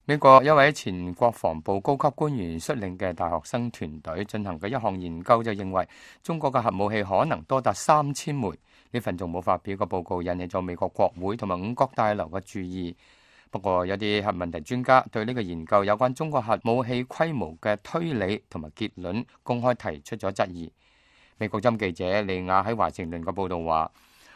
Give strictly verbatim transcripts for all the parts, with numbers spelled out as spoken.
美國一位前國防部高級官員率領嘅大學生團隊進行嘅一項研究就認為，中國嘅核武器可能多達三千枚。呢份仲冇發表嘅報告引起咗美國國會同埋五角大樓嘅注意。不過有啲核問題專家對呢個研究有關中國核武器規模嘅推理同埋結論公開提出咗質疑。美國針記者利亞喺華盛頓嘅報道話，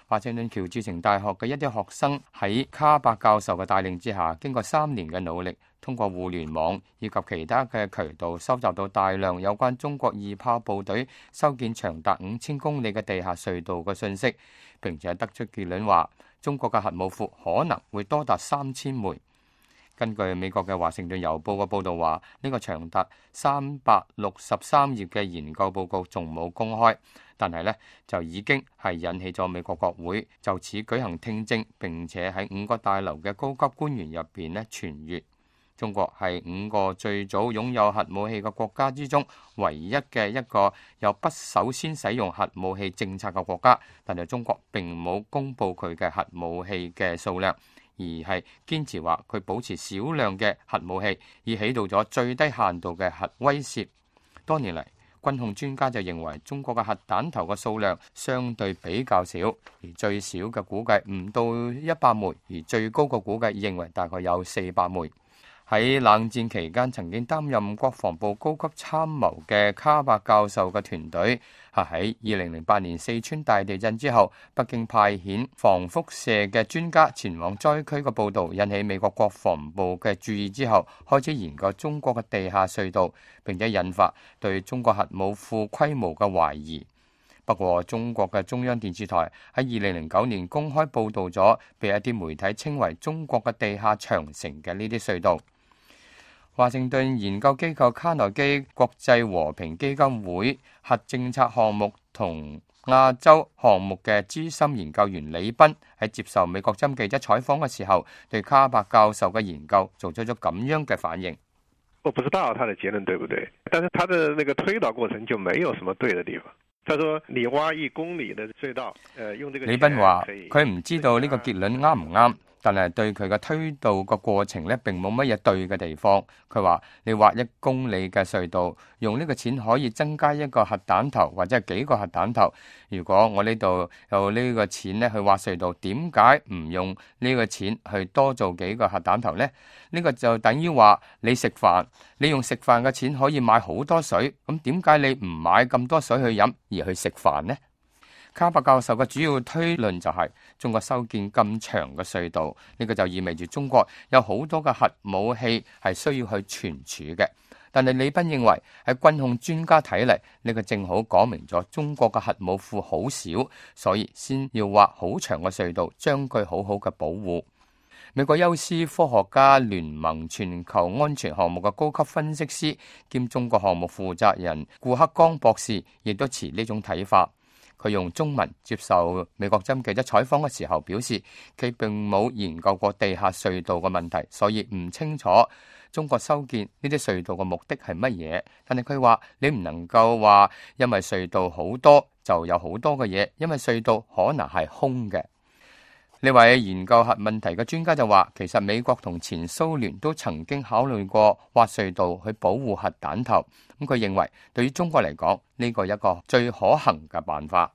華盛頓喬治城大學嘅一啲學生喺卡伯教授嘅帶領之下，經過三年嘅努力，通過互聯網以及其他嘅渠道收集到大量有關中國二炮部隊修建長達五千公里嘅地下隧道嘅信息，並且得出結論話，中國嘅核武庫可能會多達三千枚。根據美國嘅華盛頓郵報嘅報導話，呢個長達三百六十三頁嘅研究報告仲冇公開，但係呢就已經係引起咗美國國會就此舉行聽證，並且喺五角大樓嘅高級官員入邊呢傳閱。中國係五個最早擁有核武器嘅國家之中唯一嘅一個有不首先使用核武器政策嘅國家，但係中國並冇公布佢嘅核武器嘅數量，而係堅持話佢保持少量嘅核武器，以起到咗最低限度嘅核威懾。多年嚟，軍控專家就認為中國嘅核彈頭嘅數量相對比較少，而最少嘅估計唔到一百枚，而最高嘅估計認為大概有四百枚。喺冷戰期間曾經擔任國防部高級參謀嘅卡伯教授嘅團隊，係喺二零零八年四川大地震之後，北京派遣防輻射嘅專家前往災區嘅報導，引起美國國防部嘅注意之後，開始研究中國嘅地下隧道，並且引發對中國核武庫規模嘅懷疑。不過，中國嘅中央電視台喺二零零九年公開報導咗，被一啲媒體稱為中國嘅地下長城嘅呢啲隧道。華盛頓研究機構卡內基國際和平基金會核政策項目同亞洲項目嘅資深研究員李斌喺接受美國針記者採訪嘅時候，對卡伯教授嘅研究做出咗咁樣嘅反應。我不知道他的結論對不對，但是他的那個推導過程就沒有什麼對的地方。他說你挖一公里的隧道，呃，用這個。李斌話佢唔知道呢個結論啱唔啱。但係對佢嘅推導個過程咧，並冇乜嘢對嘅地方。佢話你挖一公里嘅隧道，用呢個錢可以增加一個核彈頭或者係幾個核彈頭。如果我呢度有呢個錢咧去挖隧道，點解唔用呢個錢去多做幾個核彈頭呢？呢個就等於話你食飯，你用食飯嘅錢可以買好多水，咁點解你唔買咁多水去飲而去食飯呢？卡伯教授嘅主要推論就係、是、中國修建咁長嘅隧道，呢、這個就意味住中國有好多嘅核武器係需要去存儲嘅。但係李斌認為喺軍控專家睇嚟，呢、這個正好講明咗中國嘅核武庫好少，所以先要挖好長嘅隧道，將佢好好嘅保護。美國休斯科學家聯盟全球安全項目嘅高級分析師兼中國項目負責人顧克剛博士亦都持呢種睇法。佢用中文接受美國針記者採訪嘅時候表示，佢並冇研究過地下隧道嘅問題，所以唔清楚中國修建呢啲隧道嘅目的係乜嘢。但係佢話你唔能夠話因為隧道好多就有好多嘅嘢，因為隧道可能係空嘅。呢位研究核問題嘅專家就話，其實美國同前蘇聯都曾經考慮過挖隧道去保護核彈頭。咁佢認為對於中國嚟講，呢個係一個最可行嘅辦法。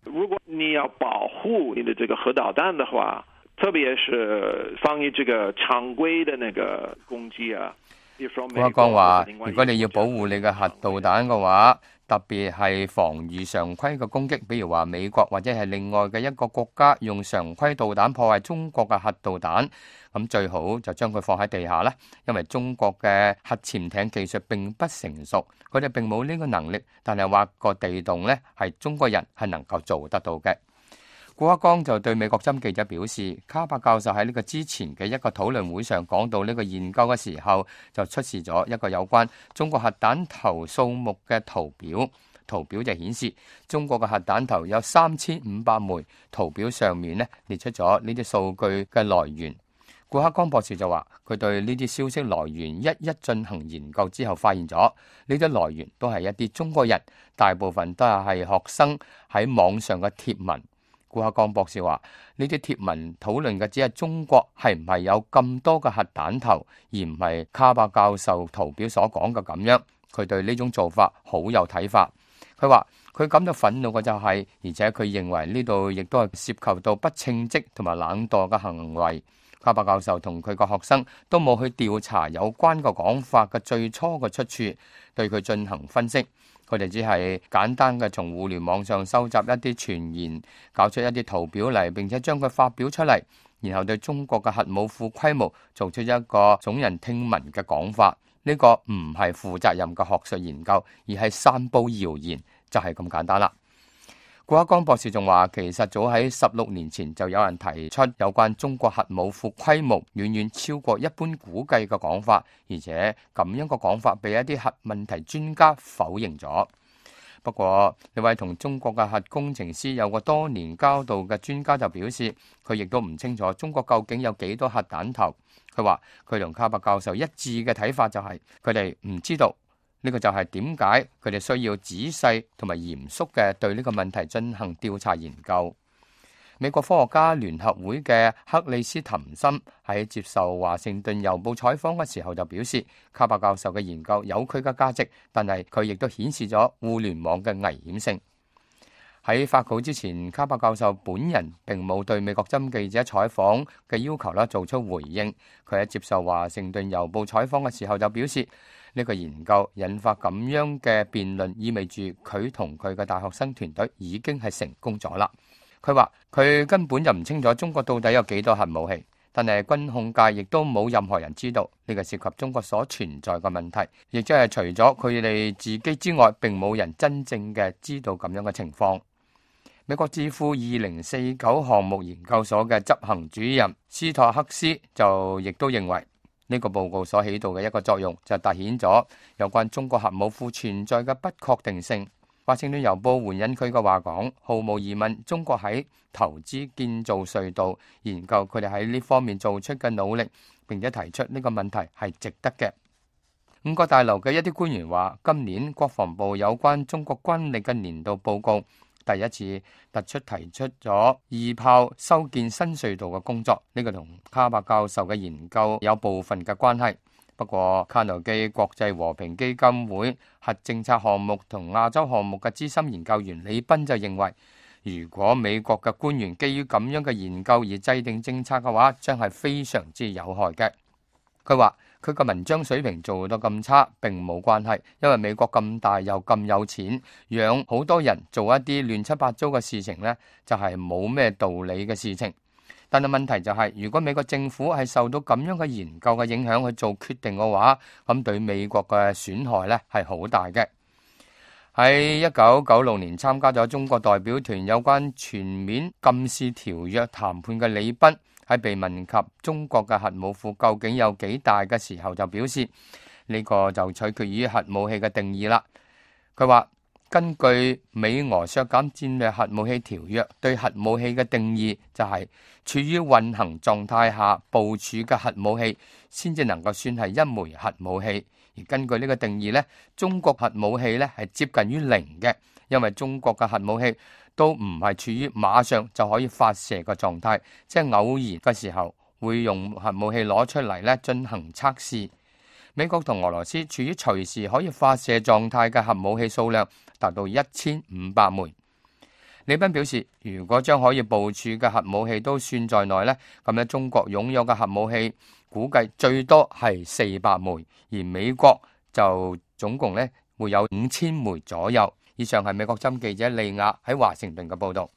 如果你要保護你的這個核導彈的話，特別是防禦這個常規的那個攻擊啊。顧克剛話，如果你要保護你嘅核導彈嘅話，特別係防禦常規嘅攻擊，比如話美國或者係另外嘅一個國家用常規導彈破壞中國嘅核導彈，咁最好就將佢放喺地下啦。因為中國嘅核潛艇技術並不成熟，佢哋並冇呢個能力，但係挖個地洞呢，係中國人係能夠做得到嘅。顧克剛就對美國針記者表示，卡伯教授喺呢個之前嘅一個討論會上講到呢個研究嘅時候，就出示咗一個有關中國核彈頭數目嘅圖表。圖表就顯示中國嘅核彈頭有三千五百枚。圖表上面呢列出咗呢啲數據嘅來源。顧克剛博士就話，佢對呢啲消息來源一一進行研究之後，發現咗呢啲來源都係一啲中國人，大部分都係學生喺網上嘅貼文。顧克剛博士話：呢啲貼文討論嘅只係中國係唔係有咁多嘅核彈頭，而唔係卡伯教授圖表所講嘅咁樣。佢對呢種做法好有睇法。佢話佢感到憤怒嘅就係，而且佢認為呢度亦都係涉及到不稱職同埋冷惰嘅行為。卡伯教授同佢個學生都冇去調查有關嘅講法嘅最初嘅出處，對佢進行分析。佢哋只係簡單嘅從互聯網上收集一啲傳言，搞出一啲圖表嚟，並且將佢發表出嚟，然後對中國嘅核武庫規模做出一個聳人聽聞嘅講法。呢個唔係負責任嘅學術研究，而係散佈謠言，就係咁簡單啦。顧克剛博士仲話，其實早喺十六年前就有人提出有關中國核武庫規模遠遠超過一般估計嘅講法，而且咁樣嘅講法被一啲核問題專家否認咗。不過呢位同中國嘅核工程師有過多年交道嘅專家就表示，佢亦都唔清楚中國究竟有幾多核彈頭。佢話佢同卡伯教授一致嘅睇法就係佢哋唔知道。呢個就係點解佢哋需要仔細同埋嚴肅嘅對呢個問題進行調查研究。美國科學家聯合會嘅克里斯滕森喺接受華盛頓郵報採訪嘅時候就表示，卡伯教授嘅研究有佢嘅價值，但係佢亦都顯示咗互聯網嘅危險性。喺發稿之前，卡伯教授本人並冇對美國針記者採訪嘅要求啦做出回應。佢喺接受華盛頓郵報採訪嘅時候就表示，呢個研究引發咁樣嘅辯論，意味住佢同佢嘅大學生團隊已經係成功咗啦。佢話佢根本就唔清楚中國到底有幾多核武器，但係軍控界亦都冇任何人知道呢個涉及中國所存在嘅問題，亦即係除咗佢哋自己之外，並冇人真正嘅知道咁樣嘅情況。美國智庫二零四九項目研究所嘅執行主任斯托克斯就亦都認為，呢個報告所起到嘅一個作用就凸顯咗有關中國核武庫存在嘅不確定性。華盛頓郵報援引佢嘅話講，毫無疑問，中國喺投資建造隧道，研究佢哋喺呢方面做出嘅努力，並且提出呢個問題係值得嘅。五角大樓嘅一啲官員話，今年國防部有關中國軍力嘅年度報告第一次突出提出咗二炮修建新隧道嘅工作，呢個同卡伯教授嘅研究有部分嘅關係。不過卡內基國際和平基金會核政策項目同亞洲項目嘅資深研究員李斌就認為，如果美國嘅官員基於咁樣嘅研究而制定政策嘅話，將係非常之有害嘅。佢話佢個文章水平做到咁差並冇關係，因為美國咁大又咁有錢，養好多人做一啲亂七八糟嘅事情呢，就係冇咩道理嘅事情。但係問題就係，如果美國政府係受到咁樣嘅研究嘅影響去做決定嘅話，咁對美國嘅損害呢係好大嘅。喺一九九六年參加咗中國代表團有關全面禁試條約談判嘅李斌，喺被問及中國嘅核武庫究竟有幾大嘅時候，就表示呢個就取決於核武器嘅定義啦。佢話根據美俄削減戰略核武器條約對核武器嘅定義，就係處於運行狀態下部署嘅核武器先至能夠算係一枚核武器。而根據呢個定義呢，中國核武器呢係接近於零嘅，因為中國嘅核武器都唔係處於馬上就可以發射嘅狀態，即係偶然嘅時候會用核武器攞出嚟呢進行測試。美國同俄羅斯處於隨時可以發射狀態嘅核武器數量達到一千五百枚。李斌表示，如果將可以部署嘅核武器都算在內呢，咁樣中國擁有嘅核武器估計最多係四百枚，而美國就總共呢會有五千枚左右。以上係美國針記者利亞喺華盛頓嘅報道。